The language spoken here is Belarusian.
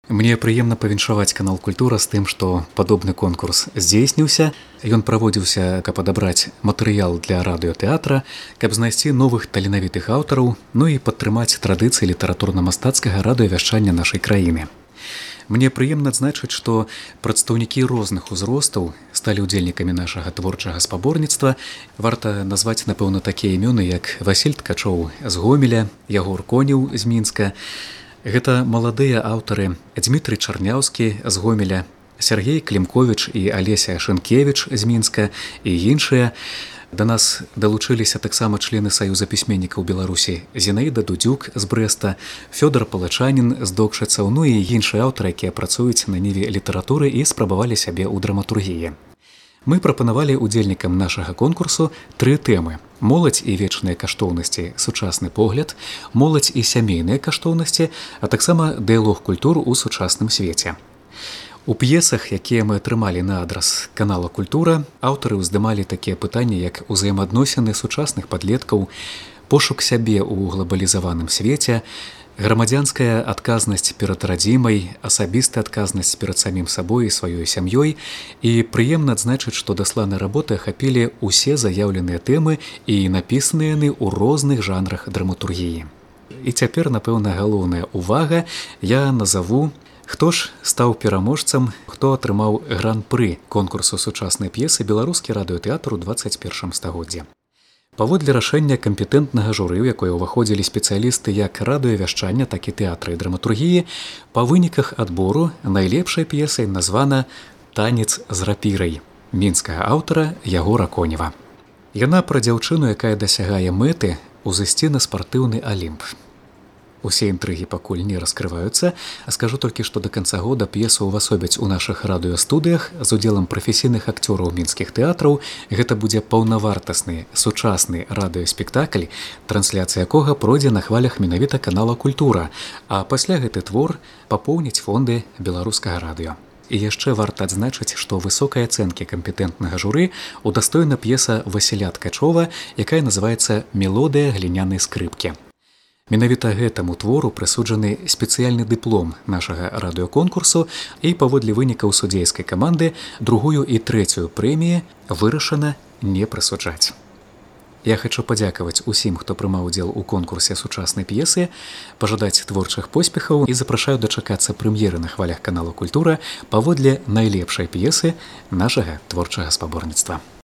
Мне прыемна павіншаваць канал Культура з тым, што падобны конкурс здзейсніўся. Ён праводзіўся, каб адабраць матэрыял для радыётэатра, каб знайсці новых таленавітых аўтараў, ну і падтрымаць традыцыі літаратурна-мастацкага радыёвяшчання нашай краіны. Мне прыемна адзначыць, што прадстаўнікі розных узростаў сталі ўдзельнікамі нашага творчага спаборніцтва. Варта назваць, напэўна, такія імёны, як Васіль Ткачоў з Гомеля, Ягор Конеў з Мінска. Гэта маладыя аўтары Дмітрый Чарняўскі з Гомеля, Сергей Клімковіч і Алеся Шынкевіч з Мінска і іншыя. Да нас далучыліся таксама члены Саюза пісьменнікаў Беларусі Зінаіда Дудзюк з Брэста, Фёдор Палачанін з Докшыцаў, ну і іншыя аўтары, якія працуюць на ніве літаратуры і спрабавалі сябе ў драматургіі. Мы прапанавалі удзельнікам нашага конкурсу 3 тэмы: моладзь і вечныя каштоўнасці, сучасны погляд, моладзь і сямейныя каштоўнасці, а таксама дыялог культур у сучасным свеце. У п'есах, якія мы атрымалі на адрас канала Культура, аўтары ўздымалі такія пытанні, як узаемаадносіны сучасных падлеткаў, пошук сябе ў глабалізаваным свеце, грамадзянская адказнасць перад радзімай, асабістая адказнасць перад самім сабой і сваёй сям'ёй. І прыемна адзначыць, што дасланыя работы ахапілі ўсе заяўленыя тэмы і напісаныя яны ў розных жанрах драматургіі. І цяпер, напэўна, галоўная ўвага, я назаву, хто ж стаў пераможцам, хто атрымаў гран-пры конкурсу сучаснай п'есы «Беларускі радыётэатр у 21 стагоддзі». Паводле рашэння кампетэнтнага журы, у якое ўваходзілі спецыялісты як радыёвяшчання, так і тэатра і драматургіі, па выніках адбору найлепшай п'есай названа «Танец з рапірай» мінскага аўтара Ягора Конева. Яна пра дзяўчыну, якая дасягае мэты ўзысці на спартыўны алімп. Усе інтрыгі пакуль не раскрываюцца, а скажу толькі, што да канца года п'есу ўвасобяць у нашых радыёстудыях з удзелам прафесійных акцёраў мінскіх тэатраў. Гэта будзе паўнавартасны, сучасны радыёспектакль, трансляцыя якога пройдзе на хвалях менавіта канала Культура, а пасля гэты твор папоўніць фонды беларускага радыё. І яшчэ варта адзначыць, што высокай ацэнкі кампетэнтнага журы удастойна п'еса Васіля Ткачова, якая называецца «Мелодыя глінянай скрыпкі». Менавіта гэтаму твору прысуджаны спецыяльны дыплом нашага радыёконкурсу, і паводле вынікаў судзейскай каманды 2-ю і 3-ю прэміі вырашана не прысуджаць. Я хачу падзякаваць усім, хто прымаў удзел у конкурсе сучаснай п'есы, пажадаць творчых поспехаў і запрашаю дачакацца прэм'еры на хвалях канала Культура паводле найлепшай п'есы нашага творчага спаборніцтва.